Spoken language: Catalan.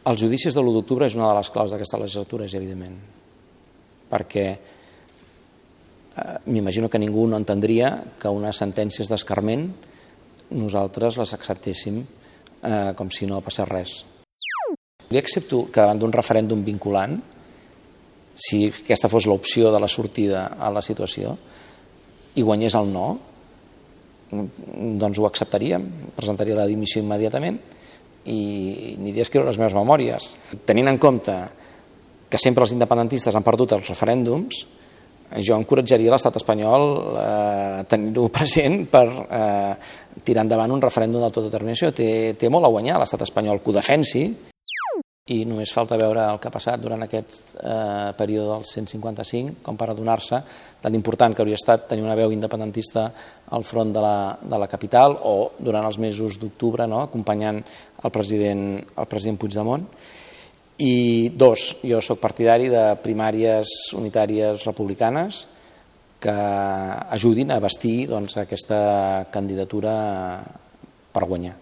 Els judicis de l'1 d'octubre és una de les claus d'aquesta legislatura, és evident, perquè m'imagino que ningú no entendria que unes sentències d'escarment nosaltres les acceptéssim com si no passés res. Jo accepto que davant d'un referèndum vinculant, si aquesta fos l'opció de la sortida a la situació, i guanyés el no, doncs ho acceptaríem, presentaria la dimissió immediatament i aniria a escriure les meves memòries. Tenint en compte que sempre els independentistes han perdut els referèndums, jo encoratjaria l'estat espanyol a tenir-ho present per tirar endavant un referèndum d'autodeterminació. Té molt a guanyar l'estat espanyol que ho defensi, i només falta veure el que ha passat durant aquest període del 155 com per adonar-se de l'important que hauria estat tenir una veu independentista al front de la capital o durant els mesos d'octubre, acompanyant el president Puigdemont. I dos, jo soc partidari de primàries unitàries republicanes que ajudin a bastir aquesta candidatura per guanyar.